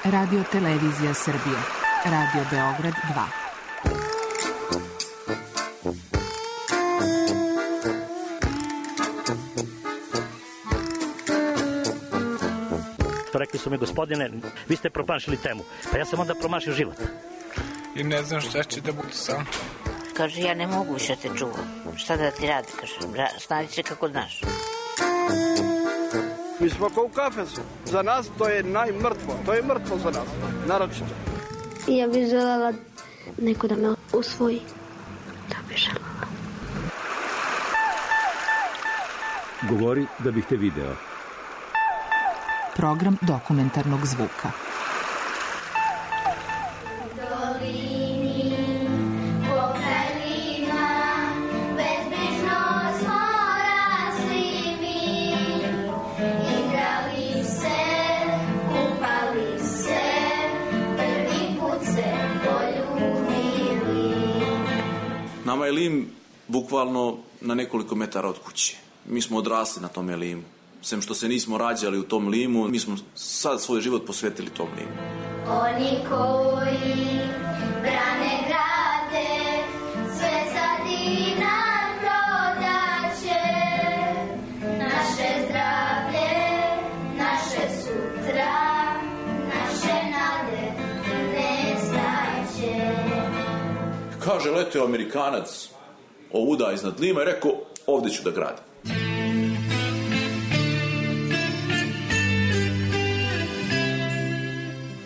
Radio Televizija Srbije. Radio Beograd 2. Rekli su mi, gospodine, vi ste promašili temu. Pa ja sam onda promašio život. I ne znam šta će da bude sam. Kaže, ja ne mogu više te čuvam. Šta da ti radi, kaže, snađi se kako znaš. Mi smo kao u kafesu. Za nas to je najmrtvo. To je mrtvo za nas, naročito. Ja bih želela neko da me usvoji. Da bih želela. Govori da bih te video. Program dokumentarnog zvuka. Nama je Lim bukvalno na nekoliko metara od kuće. Mi smo odrasli na tom Limu. Sem što se nismo rađali u tom Limu, mi smo sad svoj život posvetili tom Limu. Oni koji brane grade, sve za dinar prodaće. Naše zdravlje, naše sutra, naše nade nestaće. Kaže, letio Amerikanac ovuda iznad Lima i rekao, ovdje ću da gradim.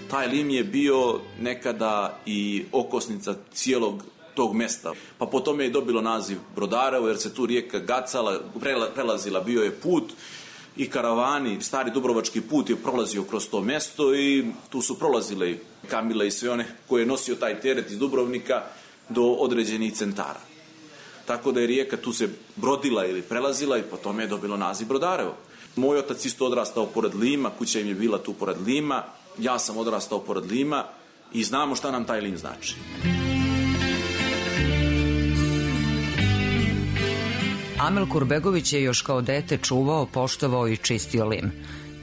Taj Lim je bio nekada i okosnica cijelog tog mesta. Pa po tome je dobilo naziv Brodarevo, jer se tu rijeka gacala, prelazila, bio je put i karavani, stari Dubrovački put je prolazio kroz to mesto i tu su prolazile i kamile i sve one koje je nosio taj teret iz Dubrovnika do određenih centara. Tako da je rijeka tu se brodila ili prelazila i po tome je dobilo naziv Brodarevo. Moj otac isto odrastao pored Lima, kuća im je bila tu pored Lima, ja sam odrastao pored Lima i znamo šta nam taj Lim znači. Amel Kurbegović je još kao dete čuvao, poštovao i čistio Lim.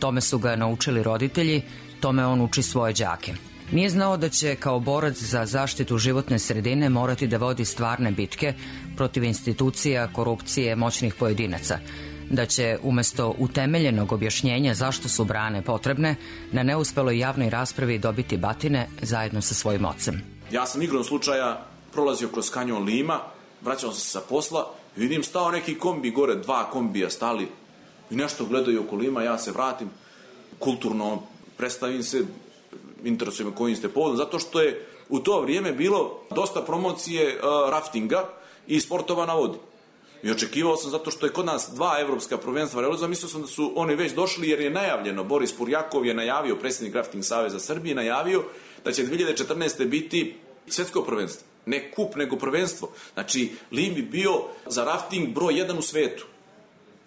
Tome su ga naučili roditelji, tome on uči svoje đake. Nije znao da će kao borac za zaštitu životne sredine morati da vodi stvarne bitke protiv institucija, korupcije, moćnih pojedinaca. Da će umesto utemeljenog objašnjenja zašto su brane potrebne, na neuspeloj javnoj raspravi dobiti batine zajedno sa svojim ocem. Ja sam igrom slučaja prolazio kroz kanjon Lima, vraćao sam se sa posla, vidim stao neki kombi gore, 2 kombija stali i nešto gledaju oko Lima, ja se vratim, kulturno predstavim se, interesuje me kojim ste povodom, zato što je u to vrijeme bilo dosta promocije raftinga i sportova na vodi. I očekivao sam, zato što je kod nas 2 evropska prvenstva realizovana, mislio sam da su oni već došli jer je najavljeno, Boris Purjakov je najavio, predsjednik Rafting Saveza Srbije, najavio da će 2014. biti svjetsko prvenstvo. Ne kup, nego prvenstvo. Znači, Lim bi bio za rafting broj 1 u svetu.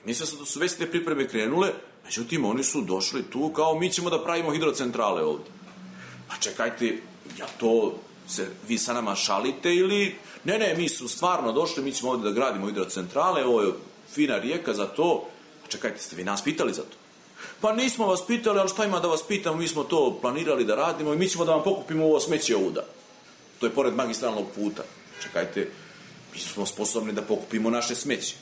Mislio sam da su već te pripreme krenule, međutim, oni su došli tu kao mi ćemo da pravimo hidrocentrale ovdje. Pa čekajte, ja to se vi sa nama šalite ili... Ne, mi su stvarno došli, mi ćemo ovdje da gradimo hidrocentrale, ovo je fina rijeka za to. Pa čekajte, ste vi nas pitali za to? Pa nismo vas pitali, ali šta ima da vas pitamo, mi smo to planirali da radimo i mi ćemo da vam pokupimo ovo smeće ovuda. To je pored magistralnog puta. Čekajte, mi smo sposobni da pokupimo naše smeće.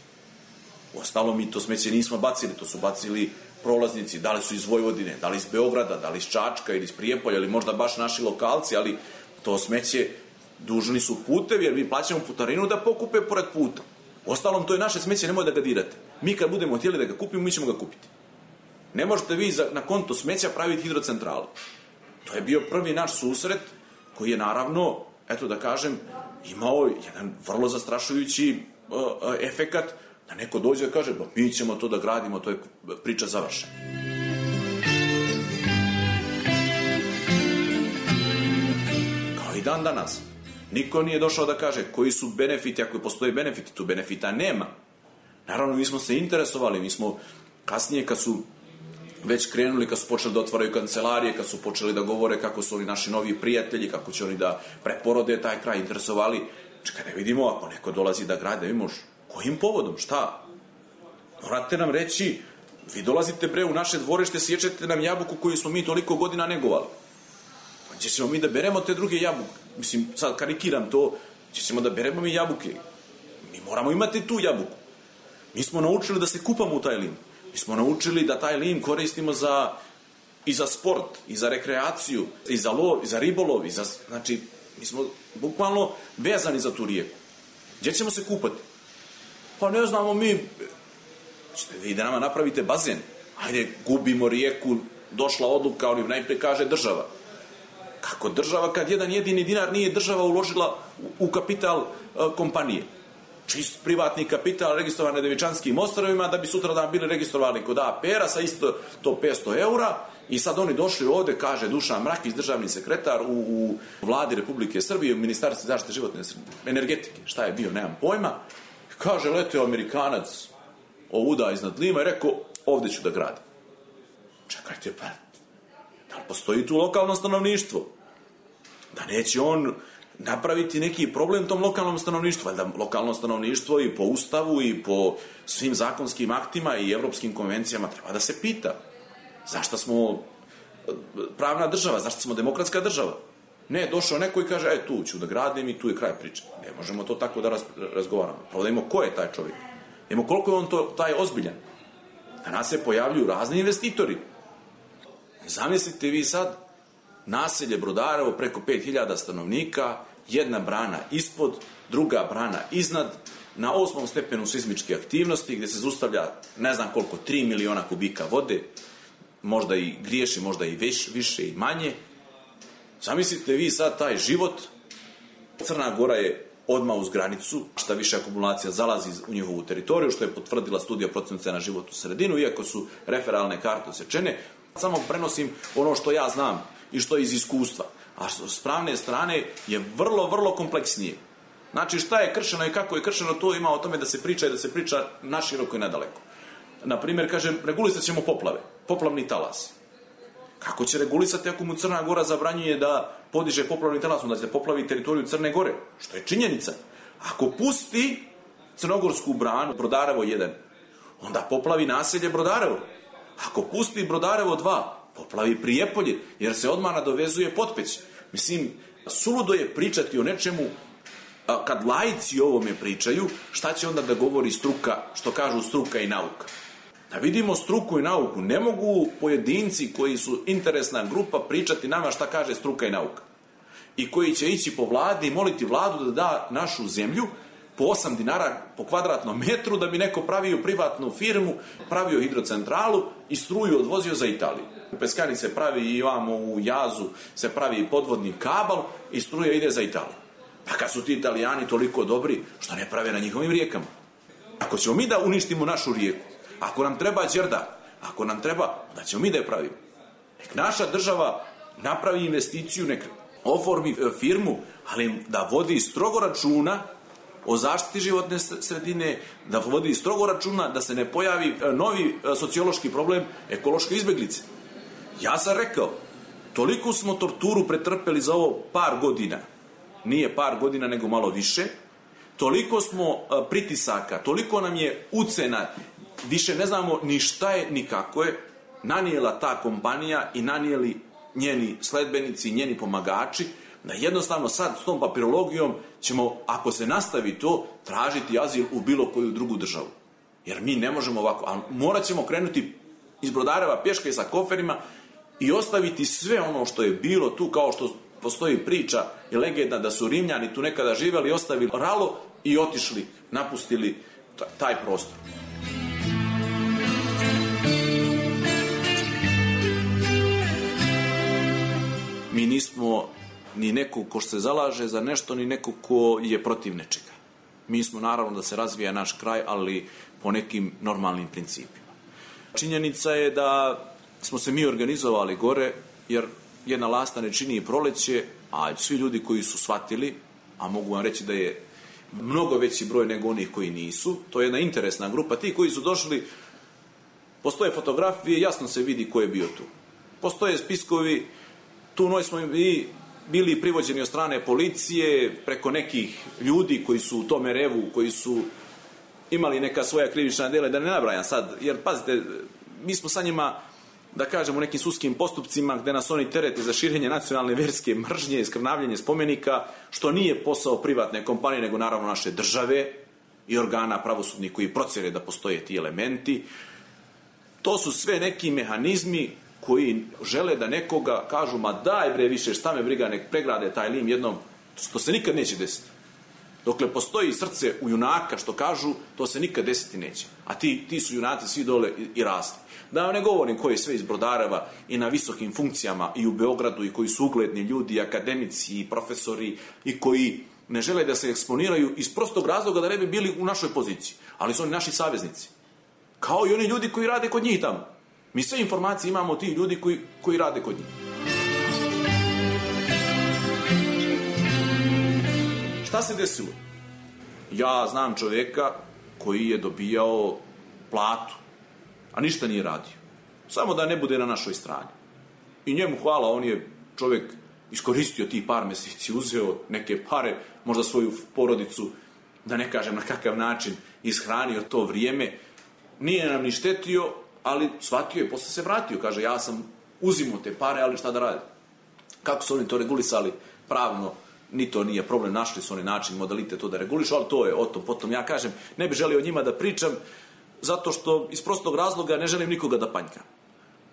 Uostalom, mi to smeće nismo bacili, to su bacili prolaznici, da li su iz Vojvodine, da li iz Beograda, da li iz Čačka ili iz Prijepolja, ili možda baš naši lokalci, ali to smeće dužni su putevi, jer mi plaćamo putarinu da pokupe pored puta. Uostalom, to je naše smeće, nemoj da ga dirate. Mi kad budemo htjeli da ga kupimo, mi ćemo ga kupiti. Ne možete vi na konto smeća praviti hidrocentralu. To je bio prvi naš susret koji je naravno, eto da kažem, imao jedan vrlo zastrašujući efekat da neko dođe da kaže, ba mi ćemo to da gradimo, to je priča završena. Kao i dan danas. Niko nije došao da kaže koji su benefiti, ako postoje benefiti, tu benefita nema. Naravno, mi smo se interesovali, mi smo kasnije kad su već krenuli, kad su počeli da otvaraju kancelarije, kad su počeli da govore kako su oni naši novi prijatelji, kako će oni da preporode taj kraj, interesovali. Čekaj, da vidimo, ako neko dolazi da grade, vidimo kojim povodom, šta? Morate nam reći, vi dolazite bre u naše dvorište, sječete nam jabuku koju smo mi toliko godina negovali. gdje ćemo mi da beremo te druge jabuke. Mislim, sad karikiram to, gdje ćemo da beremo mi jabuke. Mi moramo imati tu jabuku. Mi smo naučili da se kupamo u taj lim. Mi smo naučili da taj lim koristimo i za sport, i za rekreaciju, i za lov, i za ribolov, znači, mi smo bukvalno vezani za tu rijeku. Gdje ćemo se kupati? Pa ne znamo mi, ćete vi da nama napravite bazen. Hajde, gubimo rijeku, došla odluka, oni najprije kaže država. Kako država kad jedan jedini dinar nije država uložila u kapital kompanije? Čist privatni kapital registrovan na Devičanskim ostrvima da bi sutradan bili registrovani kod APR-a sa isto to 500 eura i sad oni došli ovde, kaže Dušan Mrakić, državni sekretar u vladi Republike Srbije, u Ministarstvu zaštite životne energetike, šta je bio, nemam pojma, kaže leteo Amerikanac ovuda iznad Lima i rekao ovde ću da gradim. Čekajte, pa da li postoji tu lokalno stanovništvo? Da neće on napraviti neki problem tom lokalnom stanovništvu, valjda lokalno stanovništvo i po ustavu i po svim zakonskim aktima i evropskim konvencijama treba da se pita zašto smo pravna država, zašto smo demokratska država. Ne, došao neko i kaže, tu ću da gradim i tu je kraj priče. Ne možemo to tako da razgovaramo. Pravo da imamo ko je taj čovjek. Da imamo koliko je on taj ozbiljan. Danas se pojavljuju razni investitori. Zamislite vi sad naselje Brodarevo preko 5000 stanovnika, jedna brana ispod, druga brana iznad, na 8. stepenu seizmičke aktivnosti, gdje se zaustavlja ne znam koliko, 3 miliona kubika vode, možda i griješi, možda i više i manje. Zamislite vi sad taj život. Crna Gora je odmah uz granicu, šta više akumulacija zalazi u njihovu teritoriju, što je potvrdila studija procjena na životnu sredinu, iako su referalne karte osečene. Samo prenosim ono što ja znam i što je iz iskustva. A s pravne strane je vrlo, vrlo kompleksnije. Znači šta je kršeno i kako je kršeno, to ima o tome da se priča i da se priča naširoko i nadaleko. Naprimjer, kažem, regulisat ćemo poplave, poplavni talas. Kako će regulisati ako mu Crna Gora zabranjuje da podiže poplavni talas, onda će poplavi teritoriju Crne Gore, što je činjenica. Ako pusti crnogorsku branu, Brodarevo 1, onda poplavi naselje Brodarevo. Ako pusti Brodarevo 2, poplavi Prijepolje, jer se odmah nadovezuje Potpeć. Mislim, suludo je pričati o nečemu, kad laici o ovome pričaju, šta će onda da govori struka, što kažu struka i nauka. Da vidimo struku i nauku, ne mogu pojedinci koji su interesna grupa pričati nama šta kaže struka i nauka. I koji će ići po vladi i moliti vladu da da našu zemlju po 8 dinara po kvadratnom metru da bi neko pravio privatnu firmu, pravio hidrocentralu i struju odvozio za Italiju. U Peskari se pravi i ovamo u Jazu se pravi podvodni kabal i struja ide za Italiju. Pa kad su ti Italijani toliko dobri, što ne prave na njihovim rijekama? Ako ćemo mi da uništimo našu rijeku, ako nam treba đerdap, ako nam treba, da ćemo mi da je pravimo. Nek naša država napravi investiciju, nek oformi firmu, ali da vodi strogo računa o zaštiti životne sredine, da vodi strogo računa da se ne pojavi novi sociološki problem ekološke izbeglice. Ja sam rekao, toliko smo torturu pretrpeli za ovo par godina, nije par godina nego malo više, toliko smo pritisaka, toliko nam je ucena, više ne znamo ni šta je, ni kako je, nanijela ta kompanija i nanijeli njeni sledbenici, njeni pomagači, da jednostavno sad s tom papirologijom ćemo, ako se nastavi to, tražiti azil u bilo koju drugu državu. Jer mi ne možemo ovako, ali morat ćemo krenuti iz Brodareva pješke sa koferima i ostaviti sve ono što je bilo tu, kao što postoji priča i legenda da su Rimljani tu nekada živjeli, ostavili ralo i otišli, napustili taj prostor. Mi nismo ni neko ko se zalaže za nešto, ni neko ko je protiv nečega. Mi smo naravno da se razvija naš kraj, ali po nekim normalnim principima. Činjenica je da smo se mi organizovali gore, jer jedna lasta ne čini i proleće, a svi ljudi koji su shvatili, a mogu vam reći da je mnogo veći broj nego onih koji nisu, to je jedna interesna grupa, ti koji su došli, postoje fotografije, jasno se vidi ko je bio tu. Postoje spiskovi, tu noć smo i bili privođeni od strane policije, preko nekih ljudi koji su u tome revu, koji su imali neka svoja krivična djela, da ne nabrajam sad, jer pazite, mi smo sa njima da kažem, u nekim sudskim postupcima gde nas oni terete za širenje nacionalne verske mržnje i skrnavljenje spomenika, što nije posao privatne kompanije, nego naravno naše države i organa pravosudnih koji procjene da postoje ti elementi. To su sve neki mehanizmi koji žele da nekoga kažu, ma daj bre više, šta me briga, nek pregrade taj lim jednom, što se nikad neće desiti. Dokle postoji srce u junaka, što kažu, to se nikad desiti neće. A ti su junaci svi dole i rasli. Da vam ne govorim koji je sve iz Brodareva i na visokim funkcijama i u Beogradu i koji su ugledni ljudi, akademici i profesori i koji ne žele da se eksponiraju iz prostog razloga da ne bi bili u našoj poziciji. Ali su oni naši saveznici. Kao i oni ljudi koji rade kod njih tamo. Mi sve informacije imamo od tih ljudi koji rade kod njih. Šta se desilo? Ja znam čoveka koji je dobijao platu, a ništa nije radio. Samo da ne bude na našoj strani. I njemu hvala, on je čovek iskoristio tih par meseci, uzeo neke pare, možda svoju porodicu, da ne kažem na kakav način, ishranio to vrijeme. Nije nam ni štetio, ali shvatio je, posle se vratio. Kaže, ja sam uzimao te pare, ali šta da radim? Kako su oni to regulisali pravno? Ni to nije problem, našli su oni način, modalitet to da regulišu, ali to je o tom potom. Ja kažem, ne bih želio o njima da pričam, zato što iz prostog razloga ne želim nikoga da panjkam.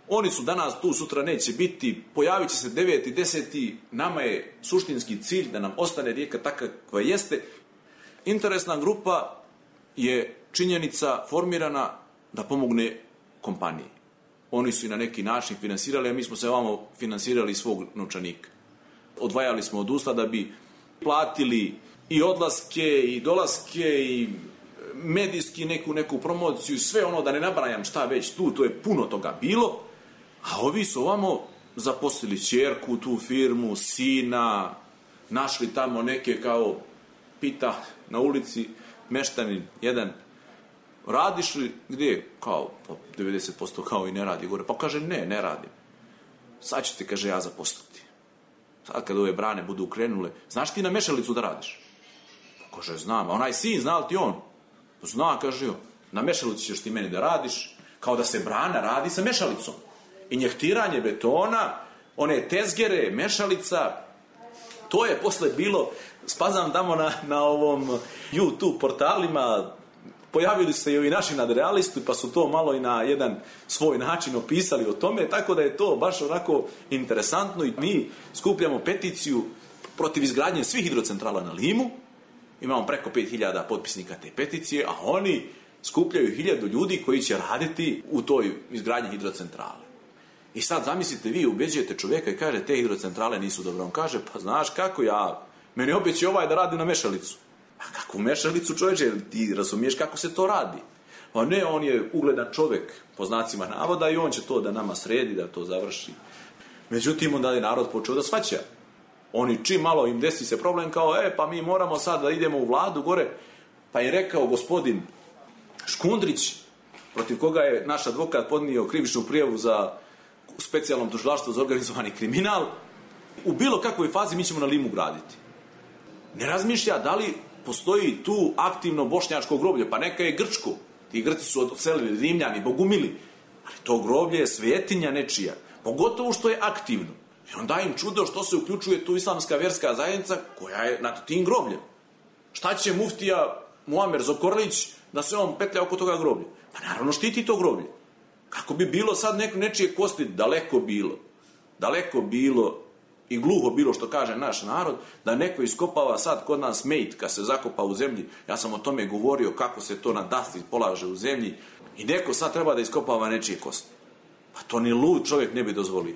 Oni su danas tu, sutra neće biti, pojavit će se 9. 10. Nama je suštinski cilj da nam ostane Rijeka takva koja jeste. Interesna grupa je činjenica formirana da pomogne kompaniji. Oni su i na neki način finansirali, a mi smo se ovamo finansirali svog novčanika. Odvajali smo od usta da bi platili i odlaske i dolaske i medijski neku promociju, sve ono, da ne nabrajam šta već tu, to je puno toga bilo, a ovi su ovamo zaposlili ćerku, tu firmu, sina, našli tamo neke, kao pita na ulici meštanin jedan, radiš li gdje? Kao 90% kao i ne radi gore. Pa kaže, ne radim. Sad ću ti, kaže, ja zaposliti. Sad kad ove brane budu krenule, znaš ti na mešalicu da radiš? Pa kaže, znam. A onaj sin, zna li ti on? Zna, kaže, na mešalicu ćeš ti meni da radiš, kao da se brana radi sa mešalicom. I njehtiranje betona, one tezgere, mešalica, to je posle bilo, spazam tamo na ovom YouTube portalima, pojavili se i ovi naši nadrealisti, pa su to malo i na jedan svoj način opisali o tome, tako da je to baš onako interesantno i mi skupljamo peticiju protiv izgradnje svih hidrocentrala na Limu, imamo preko 5000 potpisnika te peticije, a oni skupljaju 1000 ljudi koji će raditi u toj izgradnji hidrocentrale. I sad zamislite, vi ubeđujete čovjeka i kaže, te hidrocentrale nisu dobro. On kaže, pa znaš kako meni obeći da radi na mešalicu. A kakvu mešalicu, čovječe, ti razumiješ kako se to radi? A ne, on je ugledan čovjek, po znacima navoda, i on će to da nama sredi, da to završi. Međutim, onda je narod počeo da shvaća. Oni čim malo im desi se problem, kao, pa mi moramo sad da idemo u vladu gore. Pa je rekao gospodin Škundrić, protiv koga je naš advokat podnio krivičnu prijavu za specijalnom tužilaštvu za organizovani kriminal, u bilo kakvoj fazi mi ćemo na Limu graditi. Ne razmišlja da li postoji tu aktivno bošnjačko groblje, pa neka je grčko. Ti Grci su odselili, Rimljani, bogumili. Ali to groblje je svetinja nečija, pogotovo što je aktivno. I onda im čudo što se uključuje tu islamska verska zajednica koja je nad tim grobljem. Šta će muftija Muamer Zokorlić da se on petlja oko toga groblja? Pa naravno štiti to groblje. Kako bi bilo sad nečije kosti, daleko bilo i gluho bilo, što kaže naš narod, da neko iskopava sad kod nas mejt kad se zakopa u zemlji. Ja sam o tome govorio kako se to na dasti polaže u zemlji i neko sad treba da iskopava nečije kosti. Pa to ni lud čovjek ne bi dozvolio.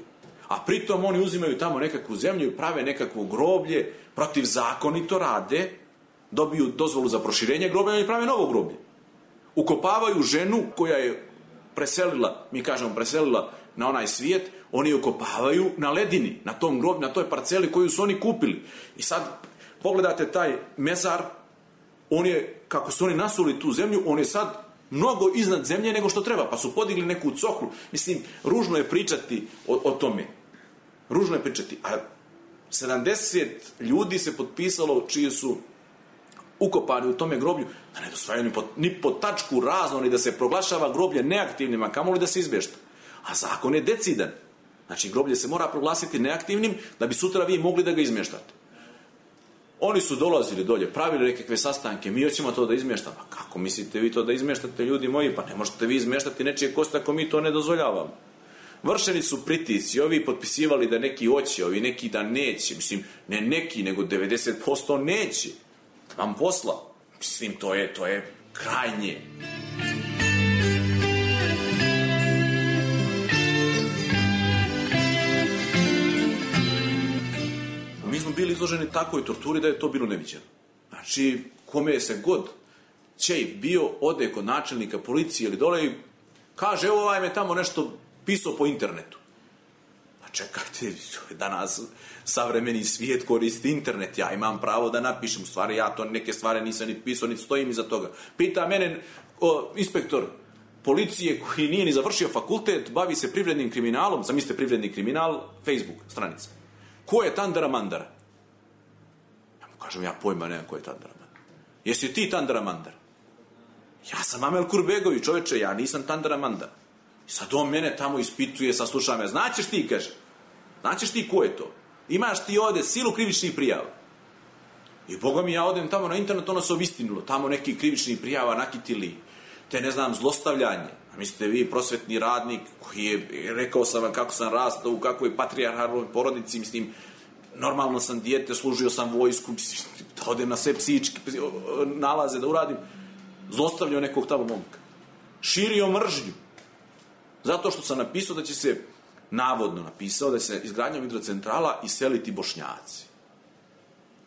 A pritom oni uzimaju tamo nekakvu zemlju i prave nekakvo groblje, protivzakonito rade, dobiju dozvolu za proširenje groblja i prave novo groblje. Ukopavaju ženu koja je preselila na onaj svijet, oni ukopavaju na ledini, na tom groblju, na toj parceli koju su oni kupili. I sad pogledate taj mezar, on je, kako su oni nasuli tu zemlju, on je sad mnogo iznad zemlje nego što treba, pa su podigli neku coklu. Mislim, ružno je pričati o tome. Ružno je pričati. A 70 ljudi se potpisalo čiji su ukopani u tome groblju, da ne dosvajaju ni po tačku razno, ni da se proglašava groblje neaktivnima, kamoli da se izbješta. A zakon je decidan. Znači, groblje se mora proglasiti neaktivnim da bi sutra vi mogli da ga izmještate. Oni su dolazili dolje, pravili nekakve sastanke, mi hoćemo to da izmještamo. Pa kako mislite vi to da izmještate, ljudi moji? Pa ne možete vi izmještati nečije kosti ako mi to ne dozvoljavamo. Vršeni su pritisci, ovi potpisivali da neki hoće, ovi neki da neće. Mislim, ne neki, nego 90% neće. Vam posla. Mislim, to je krajnje. Mi smo bili izloženi takvoj torturi da je to bilo neviđeno. Znači, kome se god čej bio, ode kod načelnika policije ili dole i kaže, evo ovaj me tamo nešto pisao po internetu. Pa čekajte, danas savremeni svijet koristi internet, ja imam pravo da napišem, u stvari ja to neke stvari nisam ni pisao, ni stojim iza toga. Pita mene inspektor policije koji nije ni završio fakultet, bavi se privrednim kriminalom, zamislite privredni kriminal, Facebook stranica. Ko je Tandara Mandara? Ja mu kažem, ja pojma nemam ko je Tandara Mandara. Jesi ti Tandara Mandara? Ja sam Amel Kurbegović, čoveče, ja nisam Tandara Mandara. I sad on mene tamo ispituje, saslušava me. Znaćeš ti, kaže. Znaćeš ti ko je to? Imaš ti ovde silu krivičnih prijava. I boga mi ja odem tamo na internet, ono se obistinilo. Tamo neki krivičnih prijava nakitili. Te, ne znam, zlostavljanje. A mislite vi, prosvetni radnik koji je, rekao sam vam kako sam rastao, u kakvoj patrijarhalnoj porodici, mislim, normalno sam dijete, služio sam vojsku, da odem na sve psihičke nalaze da uradim. Zlostavljao nekog tamo momka. Širio mržnju. Zato što sam napisao da će se, navodno napisao, da će se izgradnjom hidrocentrala iseliti Bošnjaci.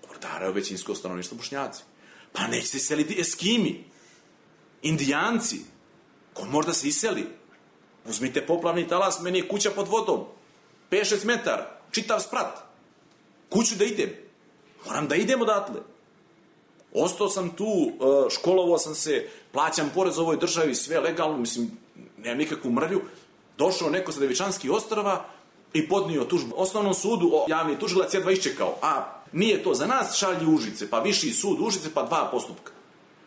Brodarevo većinsko stanovništvo Bošnjaci. Pa neće se iseliti Eskimi, Indijanci. Ko možda se iseli? Uzmite poplavni talas, meni je kuća pod vodom. 5-6 metara, čitav sprat. Kuću da idem. Moram da idem odatle. Ostao sam tu, školovao sam se, plaćam porez ovoj državi, sve legalno, mislim, nemam nikakvu mrlju. Došao neko sa Devičanskih ostrava i podnio tužbu osnovnom sudu, javni tužilac jedva iščekao. A nije to za nas, šalji Užice, pa viši sud Užice, pa 2 postupka.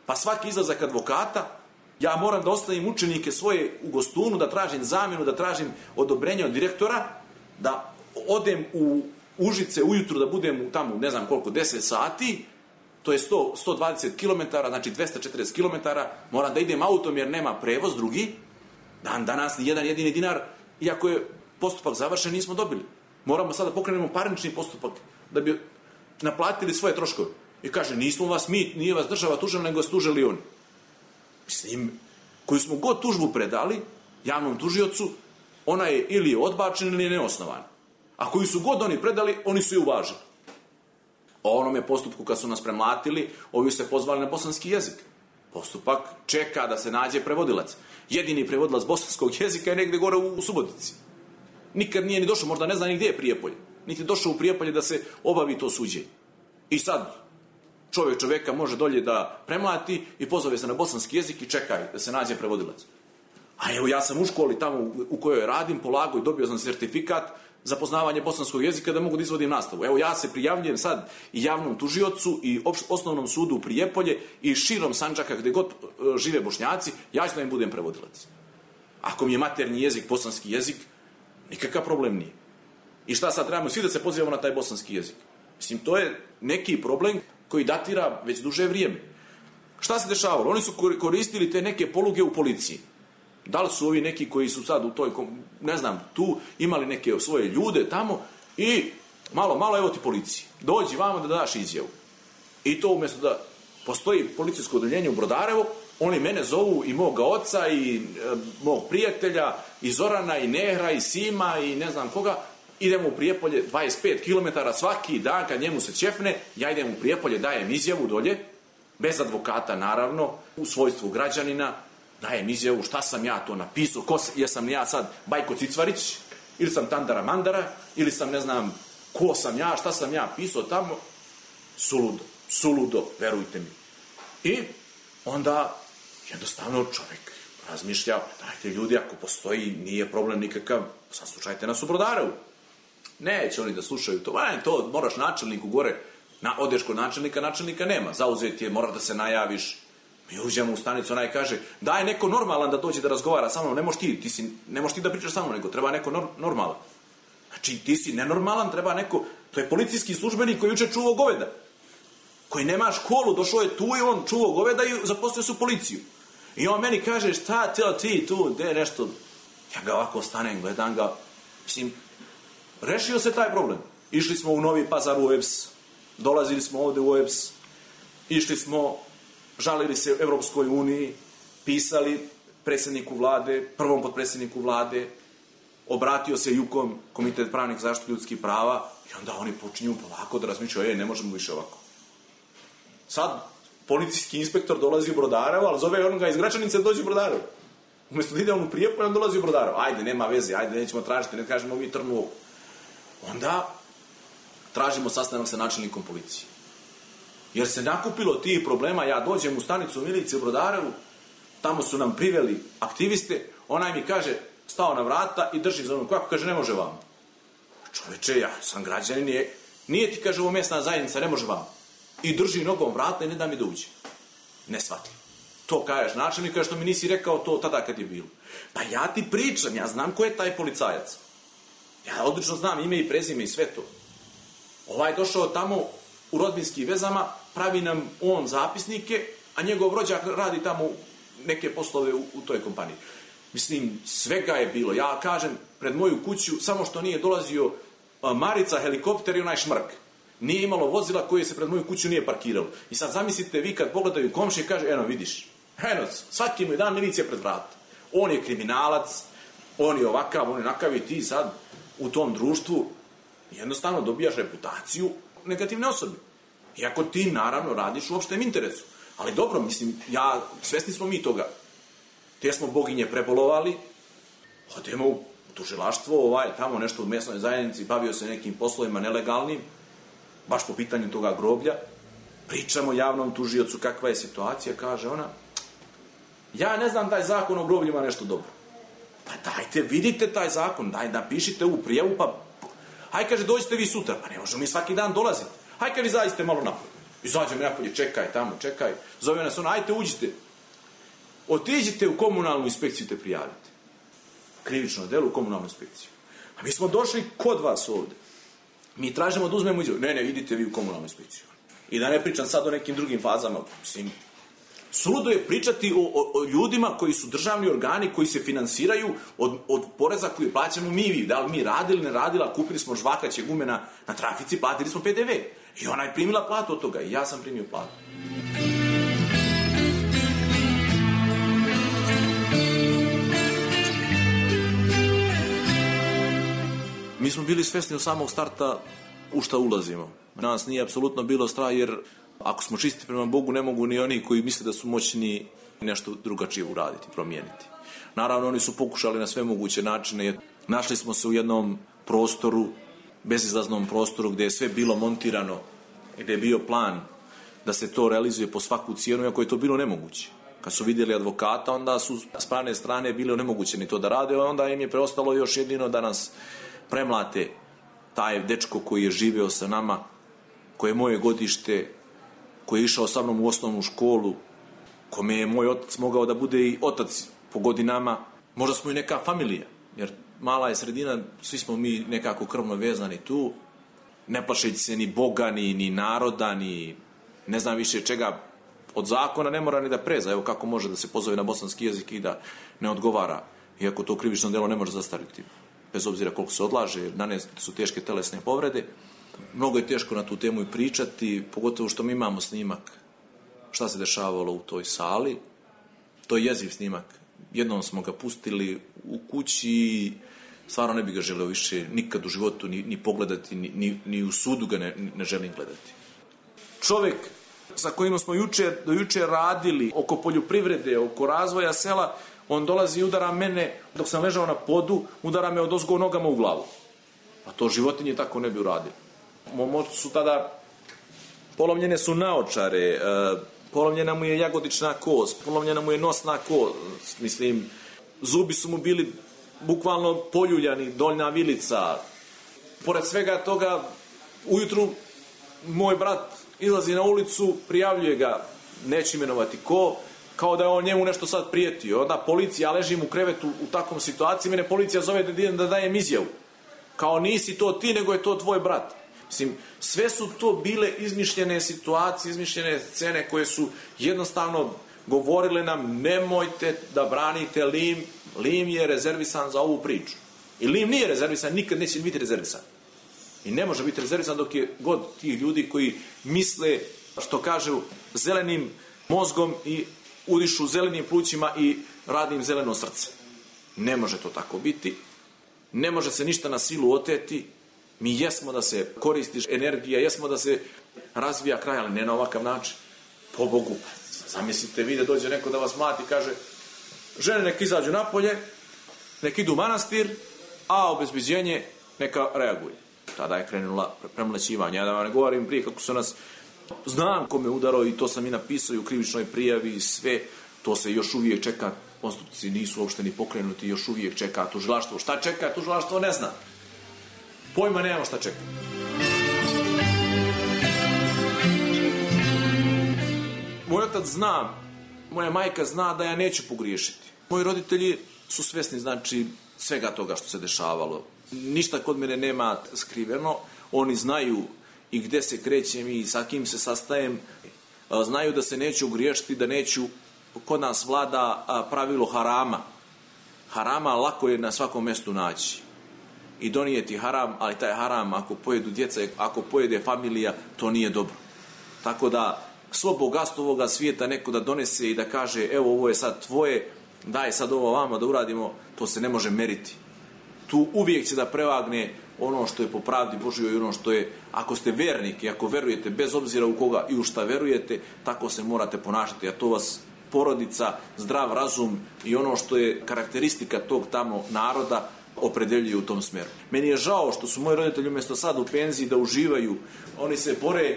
Pa svaki izlazak advokata, ja moram da ostavim učenike svoje u Gostunu, da tražim zamjenu, da tražim odobrenje od direktora, da odem u Užice ujutru, da budem tamo, ne znam koliko, 10 sati, to je 120 km, znači 240 km, moram da idem autom jer nema prevoz drugi, dan danas ni jedan jedini dinar, iako je postupak završen, nismo dobili. Moramo sada pokrenemo parnični postupak da bi naplatili svoje troškove. I kaže, nismo vas mi, nije vas država tužila, nego vas tužili oni. Mislim, koju smo god tužbu predali javnom tužiocu, ona je ili odbačena ili je neosnovana. A koju su god oni predali, oni su je uvažili. O onome postupku kad su nas premlatili, ovi se pozvali na bosanski jezik. Postupak čeka da se nađe prevodilac. Jedini prevodilac bosanskog jezika je negde gore u Subotici. Nikad nije ni došao, možda ne zna ni gdje je Prijepolje. Niti došao u Prijepolje da se obavi to suđenje. I sad čovjeka može dolje da premlati i pozove se na bosanski jezik i čekaj da se nađe prevodilac. A evo, ja sam u školi tamo u kojoj radim, polagao i dobio sam sertifikat za poznavanje bosanskog jezika da mogu da izvodim nastavu. Evo, ja se prijavljujem sad i javnom tužiocu i osnovnom sudu u Prijepolje i širom Sandžaka gdje god žive Bošnjaci, ja ću da im budem prevodilac. Ako mi je maternji jezik bosanski jezik, nikakav problem nije. I šta sad trebamo svi da se pozivamo na taj bosanski jezik? Mislim, to je neki problem koji datira već duže vrijeme. Šta se dešavalo? Oni su koristili te neke poluge u policiji. Da li su ovi neki koji su sad u toj, ne znam, tu imali neke svoje ljude tamo i malo, evo ti policiji. Dođi vamo da daš izjavu. I to umjesto da postoji policijsko odeljenje u Brodarevo, oni mene zovu i moga oca i mog prijatelja i Zorana i Nehra i Sima i ne znam koga. Idemo u Prijepolje 25 km svaki dan kad njemu se ćefne, ja idem u Prijepolje, dajem izjavu dolje, bez advokata naravno, u svojstvu građanina, dajem izjavu šta sam ja to napisao, jesam ja sad Bajko Cicvarić, ili sam Tandara Mandara, ili sam ne znam ko sam ja, šta sam ja pisao tamo, suludo, verujte mi. I onda jednostavno čovjek razmišlja, dajte ljudi, ako postoji, nije problem nikakav, saslušajte nas u Brodarevu. Neće oni da slušaju to, to moraš načelniku gore, odeš kod načelnika nema, zauzet je, moraš da se najaviš. Mi uđemo u stanicu, onaj kaže, daj neko normalan da dođe da razgovara sa mnom, ne možeš ti da pričaš sa mnom, nego treba neko normalan. Znači, ti si nenormalan, treba neko, to je policijski službenik koji juče čuvao goveda, koji nema školu, došao je tu i on čuvao goveda i zaposlio su policiju. I on meni kaže, šta ti tu, gde nešto, ja ga ovako stanem, gledam ga, mislim, rešio se taj problem. Išli smo u Novi Pazar u EPS, dolazili smo ovde u EPS, išli smo, žalili se Evropskoj uniji, pisali predsjedniku vlade, prvom potpredsjedniku vlade, obratio se JUKOM, Komitet pravnih zaštite ljudskih prava, i onda oni počinju polako da razmišljaju, ne možemo više ovako. Sad, policijski inspektor dolazi u Brodarevo, ali zove onoga iz Gračanice da dođe u Brodarevo. Umjesto da ide on u Prijepolje, on dolazi u Brodarevo. Ajde, nema veze, ajde, nećemo tražiti, ne kažemo mi trnu ovu. Onda tražimo sastanak sa načelnikom policije. Jer se nakupilo tih problema, ja dođem u stanicu milicije u Brodarevu, tamo su nam priveli aktiviste, onaj mi kaže, stao na vrata i drži za onom kvaku, kaže, ne može vam. Čoveče, ja sam građanin, nije ti, kaže, ovo mjesna zajednica, ne može vam. I drži nogom vrata i ne da mi da uđe. Ne shvatim. To kažeš načelnika što mi nisi rekao to tada kad je bilo. Pa ja ti pričam, ja znam ko je taj policajac. Ja odlično znam ime i prezime i sve to. Ovaj došao tamo u rodbinskim vezama, pravi nam on zapisnike, a njegov rođak radi tamo neke poslove u toj kompaniji. Mislim, svega je bilo. Ja kažem, pred moju kuću, samo što nije dolazio Marica, helikopter i onaj šmrk. Nije imalo vozila koje se pred moju kuću nije parkiralo. I sad zamislite vi kad pogledaju komšije i kaže, eno vidiš, eno, svaki mu je dan milicija pred vrata. On je kriminalac, on je ovakav, on je onakav i ti sad u tom društvu jednostavno dobijaš reputaciju negativne osobe. Iako ti naravno radiš u opštem interesu. Ali dobro, mislim, svesni smo mi toga. Te smo boginje prebolovali, odemo u tužilaštvo, tamo nešto u mesnoj zajednici, bavio se nekim poslovima nelegalnim, baš po pitanju toga groblja, pričamo javnom tužiocu kakva je situacija, kaže ona, ja ne znam taj zakon o grobljima nešto dobro. Pa dajte, vidite taj zakon, daj, napišite u prijavu, pa haj, kaže, dođite vi sutra, pa ne možemo mi svaki dan dolaziti. Haj, kaže, zaiste malo napolje. Izađem napolje, čekaj tamo, čekaj. Zove nas ona, ajte, uđite. Otiđite u komunalnu inspekciju te prijavite. Krivično delo u komunalnu inspekciju. A mi smo došli kod vas ovde. Mi tražimo da uzmemo izjavu. Ne, idite vi u komunalnu inspekciju. I da ne pričam sad o nekim drugim fazama. Mislim, suludo je pričati o ljudima koji su državni organi, koji se finansiraju od poreza koji plaćamo mi. Da li mi radili, ne radila, kupili smo žvakaće gume na trafici, platili smo PDV. I ona je primila platu od toga. I ja sam primio platu. Mi smo bili svesni od samog starta u šta ulazimo. Nas nije apsolutno bilo strah, jer ako smo čisti prema Bogu, ne mogu ni oni koji misle da su moćni nešto drugačije uraditi, promijeniti. Naravno, oni su pokušali na sve moguće načine. Našli smo se u jednom prostoru, bezizlaznom prostoru, gdje je sve bilo montirano, gdje je bio plan da se to realizuje po svaku cijenu, iako je to bilo nemoguće. Kad su vidjeli advokata, onda su s pravne strane bili onemogućeni to da rade, onda im je preostalo još jedino da nas premlate taj dečko koji je živeo sa nama, koji je moje godište, koji je išao sa mnom u osnovnu školu, kome je moj otac mogao da bude i otac po godinama. Možda smo i neka familija, jer mala je sredina, svi smo mi nekako krvno vezani tu, ne plašeći se ni Boga, ni naroda, ni ne znam više čega. Od zakona ne mora ni da preza, evo kako može da se pozove na bosanski jezik i da ne odgovara, iako to krivično delo ne može zastariti, bez obzira koliko se odlaže, danas su teške telesne povrede. Mnogo je teško na tu temu i pričati, pogotovo što mi imamo snimak šta se dešavalo u toj sali. To je jeziv snimak. Jednom smo ga pustili u kući i stvarno ne bi ga želeo više nikad u životu ni pogledati, ni u sudu ga ne želim gledati. Čovek sa kojim smo do juče radili oko poljoprivrede, oko razvoja sela, on dolazi i udara mene, dok sam ležao na podu, udara me odozgo nogama u glavu. A to životinje tako ne bi uradili. Mom ocu su tada polomljene su naočare, polomljena mu je jagodična kost, polomljena mu je nosna kost, mislim, zubi su mu bili bukvalno poljuljani, doljna vilica. Pored svega toga, ujutru moj brat izlazi na ulicu, prijavljuje ga, neću imenovati ko, kao da je on njemu nešto sad prijetio. Onda policija, ja ležim u krevetu u takvom situaciji, mene policija zove da dajem izjavu. Kao nisi to ti, nego je to tvoj brat. Mislim, sve su to bile izmišljene situacije, izmišljene scene koje su jednostavno govorile nam nemojte da branite Lim, Lim je rezervisan za ovu priču. I Lim nije rezervisan, nikad neće biti rezervisan. I ne može biti rezervisan dok je god tih ljudi koji misle, što kažu, zelenim mozgom i udišu zelenim plućima i radi im zeleno srce. Ne može to tako biti. Ne može se ništa na silu oteti. Mi jesmo da se koristi energija, jesmo da se razvija kraj, ali ne na ovakav način. Po Bogu, zamislite vi da dođe neko da vas mlati i kaže žene nek izađu napolje, nek idu u manastir, a obezbeđenje neka reaguje. Tada je krenula premlaćivanje. Ja da vam ne govorim prije kako su nas, znam ko me udarao i to sam i napisao i u krivičnoj prijavi i sve, to se još uvijek čeka, postupci nisu uopšte ni pokrenuti, još uvijek čeka tužilaštvo. Šta čeka tužilaštvo ne zna. Pojma nemamo šta čeka. Moj otac zna, moja majka zna da ja neću pogriješiti. Moji roditelji su svjesni, znači, svega toga što se dešavalo. Ništa kod mene nema skriveno. Oni znaju i gde se krećem i sa kim se sastajem. Znaju da se neću griješiti, da neću, kod nas vlada pravilo harama. Harama lako je na svakom mjestu naći. I donijeti haram, ali taj haram ako pojedu djeca, ako pojede familija, to nije dobro. Tako da svo bogatstvo ovoga svijeta neko da donese i da kaže evo ovo je sad tvoje, daj sad ovo vama da uradimo, to se ne može meriti. Tu uvijek će da prevagne ono što je po pravdi Božjoj i ono što je, ako ste vernik i ako verujete bez obzira u koga i u šta verujete, tako se morate ponašati, a to vas porodica, zdrav razum i ono što je karakteristika tog tamo naroda opredeljuje u tom smjeru. Meni je žao što su moji roditelji umjesto sad u penziji da uživaju, oni se bore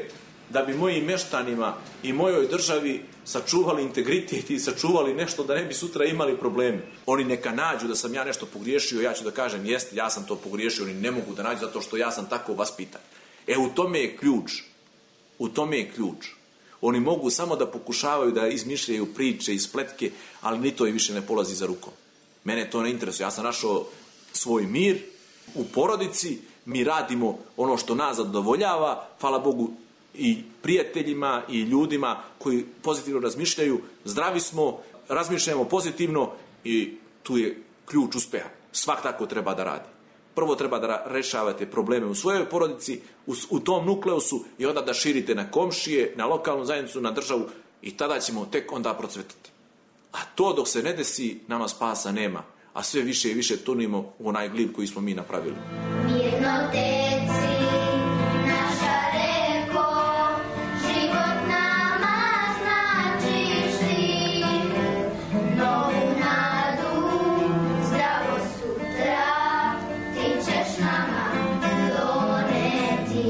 da bi mojim meštanima i mojoj državi sačuvali integritet i sačuvali nešto da ne bi sutra imali probleme. Oni neka nađu da sam ja nešto pogriješio, ja ću da kažem jeste, ja sam to pogriješio, oni ne mogu da nađu zato što ja sam tako vaspitan. U tome je ključ. U tome je ključ. Oni mogu samo da pokušavaju da izmišljaju priče i spletke, ali ni to i više ne polazi za rukom. Mene to ne interesuje. Ja sam našao svoj mir u porodici, mi radimo ono što nas zadovoljava, hvala Bogu i prijateljima i ljudima koji pozitivno razmišljaju, zdravi smo, razmišljamo pozitivno i tu je ključ uspeha. Svak tako treba da radi. Prvo treba da rešavate probleme u svojoj porodici, u tom nukleusu i onda da širite na komšije, na lokalnu zajednicu, na državu i tada ćemo tek onda procvetati. A to dok se ne desi, nama spasa nema. A sve više i više tonimo u onaj glib koji smo mi napravili. Mirno teci, naša reko, život nama značiš ti. Novu nadu, zdravo sutra, ti ćeš nama doneti.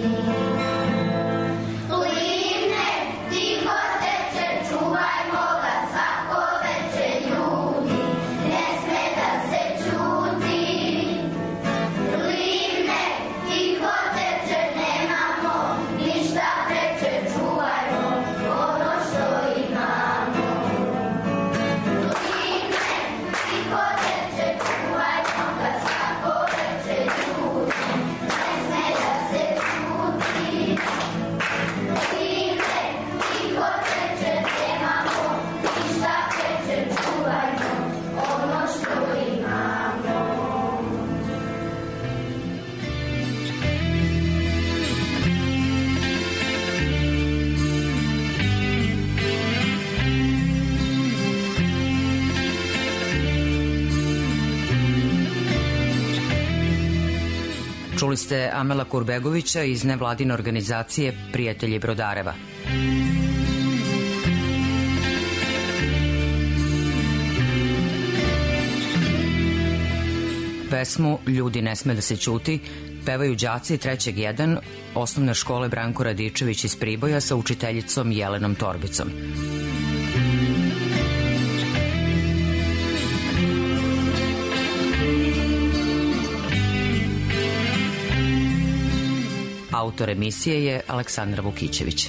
Livne, tiho teče, čuvajmo ga svako veče ljudi, ne sme da se čuti. Livne, tiho teče, nemamo ništa preče, čuvajmo ono što imamo. Livne, tiho teče, čuvajmo ga svako veče ljudi, ne sme da se čuti. Livne, tiho teče, nemamo ništa preče, čuvajmo ono što imamo. Čuli ste Amela Kurbegovića iz nevladine organizacije Prijatelji Brodareva. Pesmu Ljudi ne sme da se ćuti pevaju đaci 3. 1 osnovne škole Branko Radičević iz Priboja sa učiteljicom Jelenom Torbicom. Autor emisije je Aleksandra Vukićević.